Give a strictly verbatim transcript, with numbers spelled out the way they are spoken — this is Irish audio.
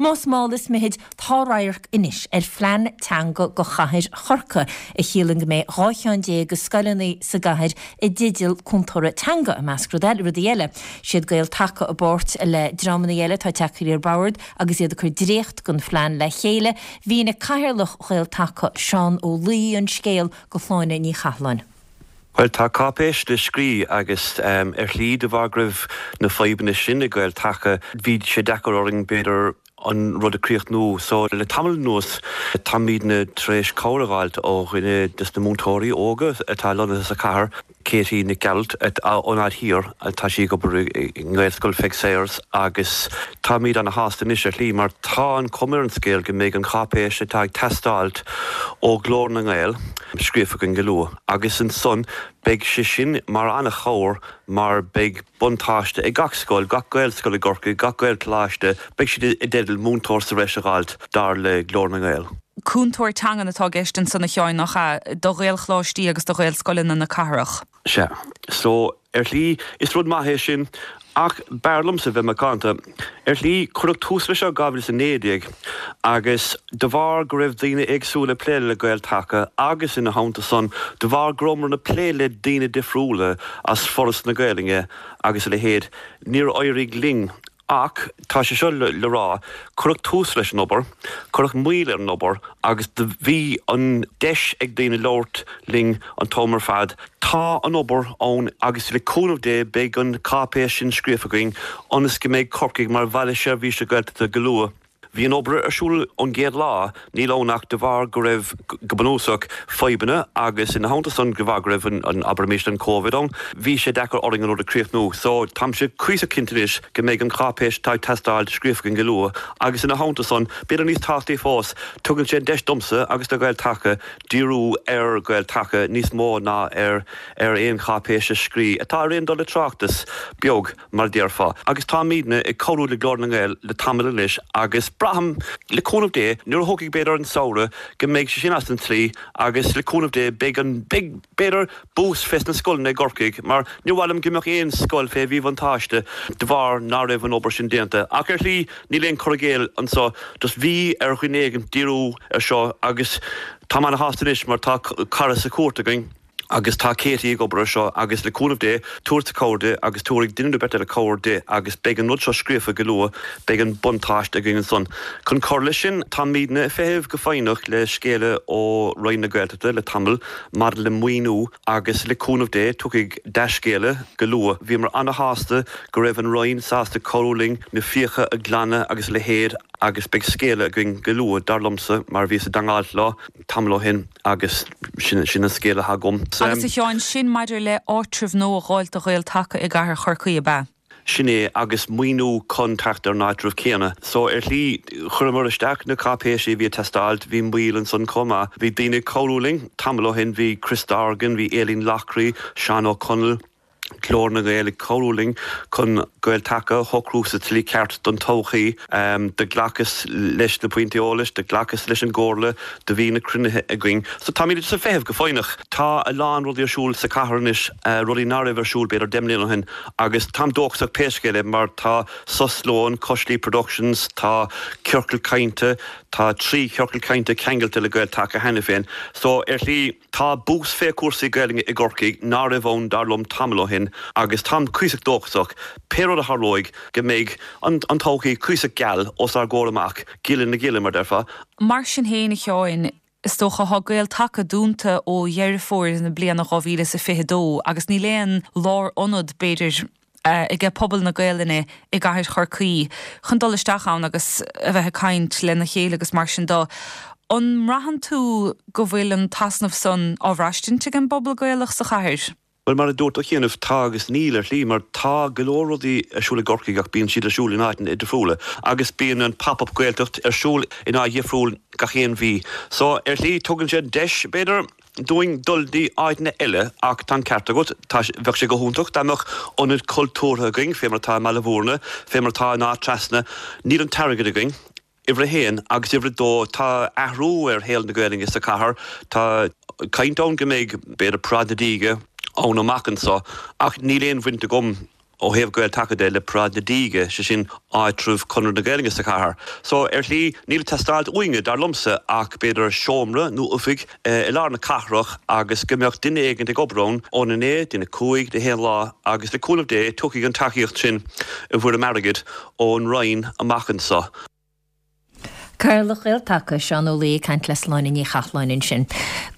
Más mall is mithid tá radharc anois ar phlean teanga go chathair Chorcaí a chiallaíonn go mbeidh dhá cheann déag de scoileanna sa gcathair i dteideal cúntóra teanga i measc rud eile rudaí eile. Siad Gael Taca i bpáirt le dreamanna eile atá tagtha ar bord agus iad ag cur dréacht den phlean le chéile, Mhínigh Cathaoirleach Ghael Taca Seán Ó Laoi an scéal go Sláine Ní Chatháin. Well tá cáipéis le scríobh agus um, ar shlí de bharr go raibh na fadhbanna sin i Gael Taca bhí sé deacair orainn b'fhéidir an rud a chríochnú so le tamall anuas táimidne tar éis cabhair a fháilt ó dhuine des na múinteoirí óga atá lonnaithe sa chathair Katie Nic Gearailt ón Aird Thiar tá sí ag obair i nGaelscoil Pheig Sayers agus táimid ana-shásta anois ar shlí mar tá an chuma ar an scéal go mbeidh an cháipéis atá ag teastáil ó Ghlór na nGael scríofa againn go luath agus ansan beidh sé sin mar an-chabhair mar beidh buntáiste ag gach scoil, gach Gaelscoil i gCorcaigh, gach Gaelcholáiste, beidh siad i dteideal múinteoir sa bhreis a fháilt dar le Glór na nGael. Cúntóir teangan atá i gceist ansan a Sheáin nach ea do Ghaelcholáistí agus do Ghaelscoileanna na cathrach. Sea, so ar shlí is rud maith é sin ach b'fhearr liomsa bheith macánta. Ar shlí cuireadh tús leis seo dhá mhíle is a naoi déag agus de bharr go raibh daoine éagsúla ag plé le Gael Taca agus ina theannta san de bharr go rabhamar ag plé le daoine difriúla as Foras na Gaeilge agus a leithéid, níor éirigh linn Ach tá sé seo le, le rá, cuireadh tús leis an obair, cuireadh moill ar an obair agus do bhí an deis ag daoine labhairt linn an t-am ar fad. Tá an obair ann agus le cúnamh Dé beidh an cáipéis sin scríofa againn ionas go mbeidh Corcaigh mar bhaile seirbhíse Gaeltachta go luath. Bhí an obair ar siúl ón gcéad lá, níl ann ach de bharr go raibh go bunúsach fadhbanna agus ina theannta san de bharr go raibh an, an abraimis an Covid ann, bhí sé deacair orainn an rud a chríochnú. So táimse cuíosach cinnte anois go mbeidh an cháipéis atá ag teastáil scríofa againn go luath agus ina theannta san, b'fhéidir níos tábhachtaí fós, tugann sé an deis domsa agus do Ghael Taca díriú ar Ghael Taca níos mó ná ar ar aon cháipéis a scríobh atá ar aon dul le tráchtas beag. mar a déarfá. Agus táimidne ag cabhrú le Glór na nGael le tamall anois agus braithim, le cúnamh Dé, nuair a thiocfaidh b'fhéidir an samhradh, go mbeidh sé sin as an tslí agus le cúnamh Dé beidh an, beidh b'fhéidir bús fés na scoileanna i gCorcaigh mar níor mhaith liom go mbeadh aon scoil fé mhíbhuntáiste de bharr ná raibh an obair sin déanta. Ach ar shlí níl aon cur i gcéill anso, just bhí ar dhuine éigin díriú ar seo agus táim ana-shásta anois mar tá cara sa chúirt againn. Agus tá Katie ag obair ar seo agus le cúnamh Dé, tabharfadsa cabhair di agus tabharfaidh duine nó beirt eile cabhair di agus beidh an rud seo scríofa go luath, beidh an buntáiste againn ansan. Chun cur leis sin, táimidne ag feitheamh go foighneach le scéala ó Roinn na Gaeltachta le tamall maidir le maoiniú agus le cúnamh Dé, tiocfaidh dea-scéala go luath. Bhíomar ana-shásta go raibh an Roinn sásta cabhrú linn na fiacha a ghlanadh agus a leithéid agus beidh scéala againn go luath, dar liomsa, mar bhíos i dteangmháil leo tamall ó shin. Agus sin sin an scéal atá agam. Agus a Sheáin, sin maidir le áitreabh nua a dh'fháilt do Ghael Taca i gcathair Chorcaí, ab ea? Sin é, agus maoiniú chun teacht ar an áitreabh céanna. So, ar shlí, chuireamar isteach na cáipéisí a bhí ag teastáilt, bhí moill ansan chomh maith. Bhí daoine ag cabhrú linn tamall ó shin, bhí Chris Dorgan, bhí Aileen Loughrey, Seán Ó Conaill, Glór na nGael ag cabhrú linn chun Gael Taca a shocrú sa tslí ceart don todhchaí. Do ghlacas leis na pointí eolais, do ghlacas leis an gcomhairle, do bhí na cruinnithe againn. So táimid ag feitheamh go foighneach. Tá a lán rudaí ar siúl sa chathair anois, rudaí ná raibh ar siúl b'fhéidir deich mbliana ó shin agus táim dóchasach pé scéal é mar tá Sos Lóin, Coisligh Productions, tá ciorcal cainte, tá trí chiorcal cainte ceangailte le Gael Taca cheana féin. So ar shlí, Tá bús fé chúrsaí Gaelainne i gCorcaigh ná raibh ann dar liom tamall ó shin agus táim cuíosach dóchasach, pé rud a tharlóidh, go mbeidh an an todhchaí cuíosach geal os ár gcomhair amach, gile na gile, mar déarfá. Mar sin féin, a Sheáin, is dócha, tá Gael Taca dúnta ó Dheireadh Fómhair na bliana dhá mhíle is a fiche dó agus níl aon lárionad, b'fhéidir, aige pobal na Gaelainne i gcathair Chorcaí chun dul isteach ann agus a bheith ag caint lena chéile agus mar sin de. An mbraitheann tú go bhfuil an t-easnamh san á bhraistint ag an bpobal Gaelach sa chathair? Bhuel, mar a dúirt tú cheana, tá agus níl, ar shlí, mar tá go leor rudaí ar siúl i gCorcaigh ach bíonn siad ar siúl in áiteanna difriúla agus bíonn an Pop-Up Gaeltacht ar siúl in áit dhifriúil gach aon mhí. So, ar shlí, tugann sé deis, b'fhéidir, dúinn dul dtí áiteanna eile ach tá an ceart agat, tá, bheadh sé go hiontach dá mbeadh ionad cultúrtha againn, fé mar atá i mBaile Bhúirne, fé mar atá in Áth Trasna. Níl an t-airgead againn, uimhir a haon, agus uimhir a dó, tá athrú ar shaol na Gaelainne sa chathair, tá caint ann go mbeidh, b'fhéidir, Paráid na Díge ann amach anso ach níl aon bhaint agam ó thaobh Gael-Taca de le Paráid na Díge, sé sin áitreabh Chonradh na Gaeilge sa chathair. So ar shlí níl ag teastáilt uainne dar liomsa ach b'fhéidir seomra nó oifig i lár na cathrach agus go mbeadh duine éigin ag obair ann óna naoi dtína cúig gach aon lá agus le cúnamh Dé tiocfaidh an tacaíocht sin i bhfoirm airgid ón Roinn amach anseo. Cathaoirleach Ghael-Taca Seán Ó Laoi ag caint le Sláine Ní Chathalláin ansin.